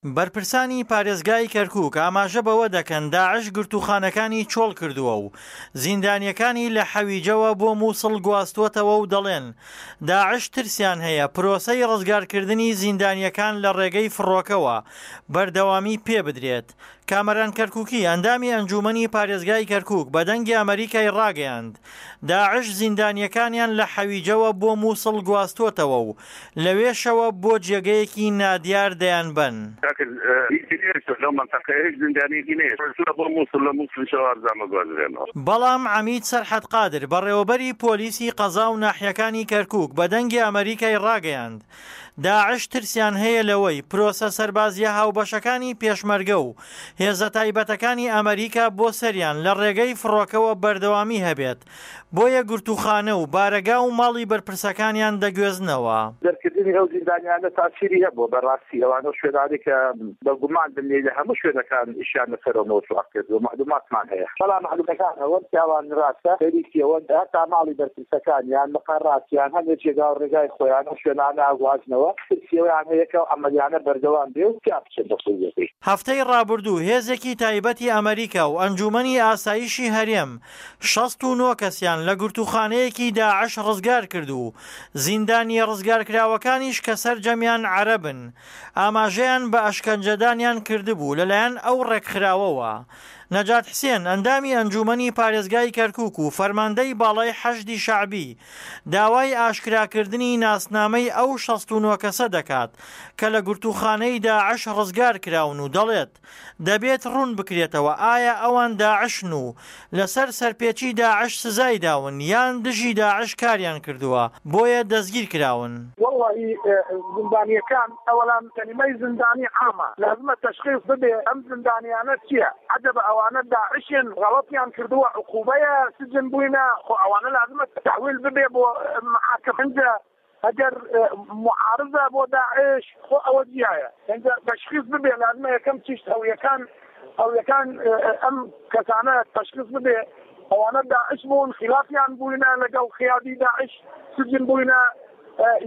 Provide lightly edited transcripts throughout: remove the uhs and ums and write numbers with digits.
بەرپرسانی پارێزگای کەرکوک ئاماژە بەوە دەکەن، داعش گرتووخانەکانی چۆڵ کردووە و زیندانییەکانی لە حەویجەوە بۆ موسڵ گواستووەتەوە و دەڵێن، داعش ترسیان هەیە پرۆسەی ڕزگارکردنی زیندانییەکان لە ڕێگەی فڕۆکەوە بەردەوامی پێبدرێت. کامەران کەرکوکی، ئەندامی ئەنجوومەنی پارێزگای کەرکوک بە دەنگی ئەمەریکای ڕاگەیاند، داعش زیندانییەکانیان لە حەویجەوە بۆ موسڵ گواستووەتەوە و لەوێشەوە بۆ جێگەیەکی نادیار دەیانبەن. کاکە هیچی نەهێشتوە لەو مەنتەقەیە هیچ زیندانیەکی نەهێشتوە بۆ موسڵ لە موسڵیشەوە ئەرزان بگوازرێنەوە. بەڵام عەمید سەرحەد قادر بەڕێوەبەری پۆلیسی قەزا و ناحیەکانی کەرکوک بە دەنگی ئەمەریکای ڕاگەیاند، داعش ترسیان هەیە لەوەی پرۆسە سەربازییە هاوبەشەکانی پێشمەرگە و هێزە تایبەتەکانی ئەمەریکا بۆ سەریان لە ڕێگەی فڕۆکەوە بەردەوامی هەبێت، بۆیە گرتووخانە و بارەگا و ماڵی بەرپرسەکانیان دەگوێزنەوە. دەرکردنی ئەو زیندانیانە تاسیری هەبووە بە ڕاستی ئەوان ئەو شوێنانەی کە بە گومان بن لە هەموو شوێنەکان ئیشیان لەسەر ئەو مەوزوعە کردووە مەعلوماتمان هەیە بەڵام مەعلومەکان ئەوەن کە ئەوان ڕاستە خەریکی ئەوەن هەتا ماڵی بەرپرسەکانیان مقەراتیان هەندێ جێگا و ڕێگای خۆیان ئەو شوێنانە ئەگوازنەوە ترسی ئەوەیان هەیە کە ئەو عەمەلیانە بەردەوام بێ و تیا بچن بە قووڵیەکەی. هەفتەی ڕابردوو هێزێکی تایبەتی ئەمەریکا و ئەنجوومەنی ئاسایشی هەرێم 69 کەسیان لە گرتووخانەیەکی داعش ڕزگارکرد و زیندانییە ڕزگارکراوەکانیش کە سەرجەمیان عەرەبن ئاماژەیان بە ئەشکەنجەدانیان کردبوو لەلایەن ئەو ڕێکخراوەوە. نەجات حسێن، ئەندامی ئەنجوومەنی پارێزگای کەرکووک و فەرماندەی باڵای حەشدی شەعبی، داوای ئاشکراکردنی ناسنامەی ئەو 69 کەسە دەکات کە لە گرتووخانەی داعش ڕزگارکراون و دەڵێت، دەبێت ڕوون بکرێتەوە ئایا ئەوان داعشن و لەسەر سەرپێچی داعش سزای داون یان دژی داعش کاریان کردووە بۆیە دەستگیر کراون. وەڵڵاهی زیندانیەکان ئەوەلان کەلیمەی زیندانی عامە لازمە تەشخیص ببێ ئەم زیندانیانە چیە عەجەبە ئەوانە داعشن غەڵەتیان کردووە عقوبەیە سجن بووینە خۆ ئەوانە لازمە تەحویل ببێ بۆ محاکم ئینجا ئەگەر معارزە بۆ داعش خۆ ئەوە جیایە ئینجا تەشخیص ببێ لازمە یەکەم چیشت هەویەکان هەویەکان ئەم کەسانە تەشخیص ببێ ئەوانە داعش بوون خلافیان بووینە لەگەڵ قیادی داعش سجن بووینە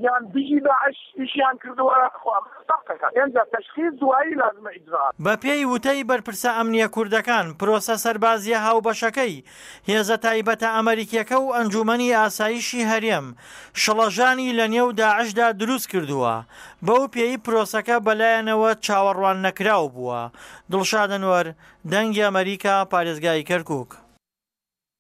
یان دژی داعش ئیشیان کردووە خۆ ئەمە فەرقەکە ئینجا تەشخیص دوایی لازمە ئیجرائات. بەپێی وتەی بەرپرسە ئەمنییە کوردەکان، پرۆسە سەربازییە هاوبەشەکەی هێزە تایبەتە ئەمەریکییەکە و ئەنجوومەنی ئاسایشی هەرێم شڵەژانی لە نێو داعشدا دروست کردووە، بەو پێی پرۆسەکە بەلایانەوە چاوەڕواننەکراو بووە. دڵشاد ئەنوەر، دەنگی ئەمەریکا، پارێزگای کەرکوک.